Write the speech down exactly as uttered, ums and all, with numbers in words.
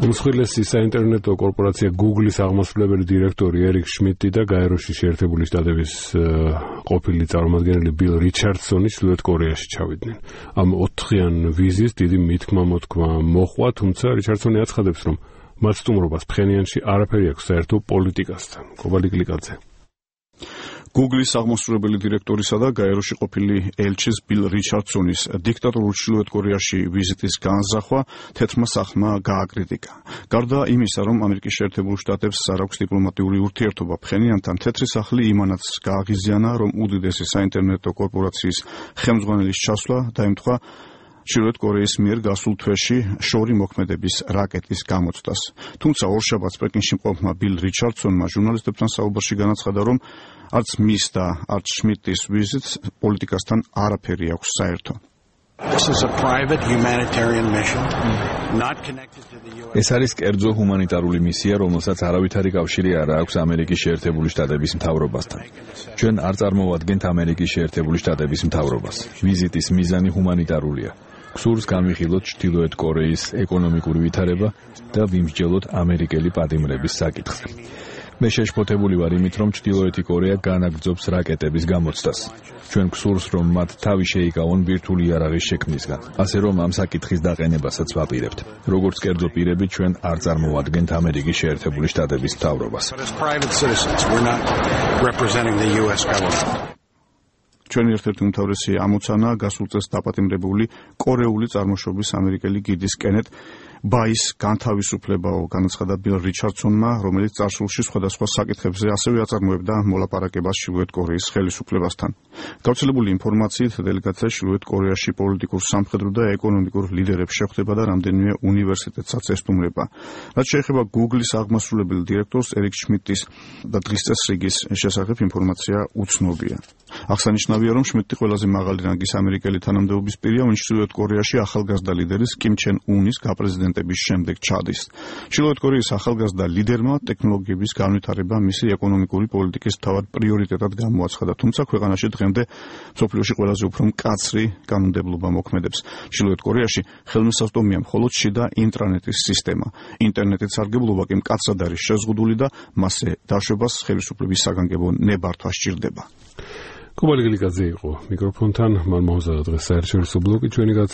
უმსხვილესი საინტერნეტო კორპორაცია Google-ის აღმასრულებელი დირექტორი ერიკ შმიდტი და გაეროში შეერთებული შტატების ყოფილი წარმომადგენელი ბილ რიჩარდსონი ჩრდილოეთ კორეაში ჩავიდნენ. ამ ოთხიან ვიზის დიდი მითქმა-მოთქმა მოჰყვა, თუმცა რიჩარდსონი აცხადებს, რომ მათ სტუმრობას ფხენიანში არაფერი აქვს საერთო პოლიტიკასთან. კობალი კლიკაძე. Google-ის აღმასრულებელი დირექტორისა და გაეროში ყოფილი ელჩის ბილ რიჩარდსონის დიქტატორულ ჩრდილოეთ კორეაში ვიზიტის განზრახვა თეთრმა სახმა გააკრიტიკა. გარდა იმისა, რომ ამერიკის შეერთებულ შტატებს არ აქვს დიპლომატიური ურთიერთობა ფხენიანთან, თეთრი სახლი იმანაც გააღიზიანა, რომ უდიდესი საინტერნეტო კორპორაციის ხელმძღვანელის ჩასვლა დაემთხვა ჩრდილოეთ კორეის მიერ გასულ თვეში შორი მოქმედების რაკეტის გამოცდას. თუმცა ორშაბათს პეკინში მყოფმა ბილ რიჩარდსონმა ჟურნალისტებთან საუბარში განაცხადა, რომ არც მის და არც შმიდტის ვიზიტს პოლიტიკასთან არაფერი აქვს საერთო. ეს არის კერძო ჰუმანიტარული მისია, რომელსაც არავითარი კავშირი არ აქვს ამერიკის შეერთებული შტატების მთავრობასთან. ჩვენ არ წარმოვადგენთ ამერიკის შეერთებული შტატების მთავრობას. ვიზიტის მიზანი ჰუმანიტარულია. გსურს განვიხილოთ ჩრდილოეთ კორეის ეკონომიკური ვითარება და ვიმსჯელოთ ამერიკელი პატიმრების საკითხზე. მე შეშფოთებული ვარ იმით, რომ ჩრდილოეთი კორეა განაგრძობს რაკეტების გამოცდას. ჩვენ გსურს, რომ მათ თავი შეიკავონ ბირთვული იარაღის შექმნისგან, ასე რომ ამ საკითხის დაყენებასაც ვაპირებთ. როგორც კერძო პირები, ჩვენ არ წარმოვადგენთ ამერიკის შეერთებული შტატების მთავრობას. ჩვენი ერთ-ერთი უმთავრესი ამოცანა გასულ წელს დაპატიმრებული კორეული წარმოშობის ამერიკელი გიდის კენეთ ბაის განთავისუფლებაო, განაცხადა ბილ რიჩარდსონმა, რომელიც წარსულში სხვადასხვა საკითხებზე ასევე აწარმოებდა მოლაპარაკებას ჩრდილოეთ კორეის ხელისუფლებასთან. გავრცელებული ინფორმაციით, დელეგაცია ჩრდილოეთ კორეაში პოლიტიკურ, სამხედრო და ეკონომიკურ ლიდერებს შეხვდება და რამდენიმე უნივერსიტეტსაც ესტუმრება. რაც შეეხება Google-ის აღმასრულებელი დირექტორს ერიკ შმიდტის და დღის წესრიგის შესახებ ინფორმაცია უცნობია. აღსანიშნავია, რომ შმიდტი ყველაზე მაღალი რანგის ამერიკელი თანამდებობის პირია, ვინც ჩრდილოეთ კორეაში ახალგაზრდა ლიდერის კიმ ჩენ უნის გაპრეზიდენტების შემდეგ ჩადის. ჩრდილოეთ კორეის ახალგაზრდა ლიდერმა ტექნოლოგიების განვითარება მისი ეკონომიკური პოლიტიკის მთავარ პრიორიტეტად გამოაცხადა, თუმცა ქვეყანაში დღემდე მსოფლიოში ყველაზე უფრო მკაცრი კანონმდებლობა მოქმედებს. ჩრდილოეთ კორეაში ხელმისაწვდომია მხოლოდ შიდა ინტრანეტის სისტემა. ინტერნეტის სარგებლობა კი მკაცრად არის შეზღუდული და მასზე დაშვებას ხელისუფლების საგანგებო ნებართვა სჭირდება. კობალი კლიკაძე იყო მიკროფონთან, მან მოუზადა დღეს საერთაშორისო ბლოკი ჩვენი